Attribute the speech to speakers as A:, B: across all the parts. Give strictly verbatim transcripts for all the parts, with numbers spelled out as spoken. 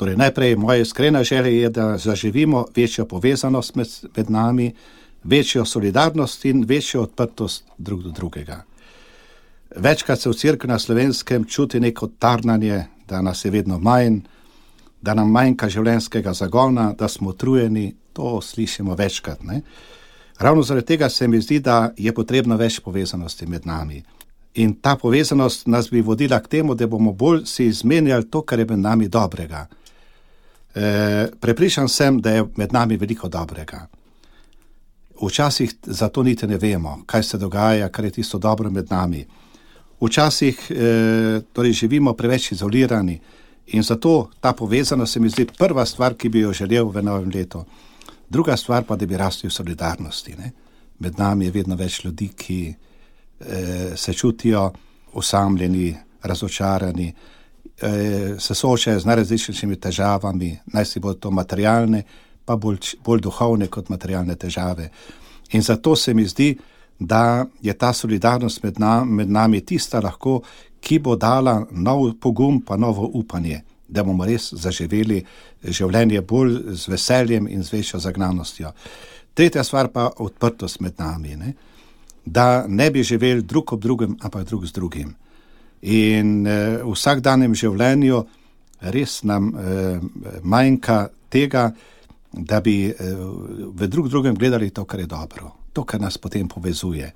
A: Torej, najprej moja iskrena želja je, da zaživimo večjo povezanost med, med nami, večjo solidarnost in večjo odprtost drug do drugega. Večkrat se v cerkvi na Slovenskem čuti neko tarnanje, da nas je vedno manj, da nam manjka življenjskega zagona, da smo utrujeni, to slišimo večkrat, ne? Ravno zaradi tega se mi zdi, da je potrebno več povezanosti med nami. In ta povezanost nas bi vodila k temu, da bomo bolj si izmenjali to, kar je med nami dobrega. E, prepričan sem, da je med nami veliko dobrega. Včasih zato niti ne vemo, kaj se dogaja, kar je tisto dobro med nami. Včasih e, torej živimo preveč izolirani in zato ta povezanost se mi zdi prva stvar, ki bi jo želel v novem letu. Druga stvar pa, da bi rasli v solidarnosti. Ne? Med nami je vedno več ljudi, ki e, se čutijo osamljeni, razočarani, e, se soočajo z najrazličnejšimi težavami, naj si bodo to materialne, pa bolj, bolj duhovne kot materialne težave. In zato se mi zdi, da je ta solidarnost med, na, med nami tista lahko, ki bo dala nov pogum pa novo upanje, da bomo res zaživeli življenje bolj z veseljem in z večjo zagnanostjo. Tretja stvar pa odprtost med nami, ne? Da ne bi živeli drug ob drugem, ampak drug z drugim. In eh, v vsakdanjem življenju res nam eh, manjka tega, da bi eh, v drug drugem gledali to, kar je dobro, to, kar nas potem povezuje.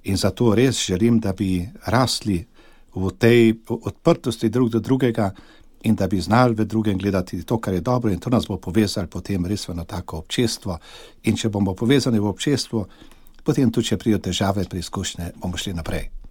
A: In zato res želim, da bi rasli v tej odprtosti drug do drugega in da bi znali v drugem gledati to, kar je dobro, in to nas bo povezali potem res v eno tako občestvo. In če bomo povezani v občestvu, potem tudi, če prijo težave, preizkušnje, bomo šli naprej.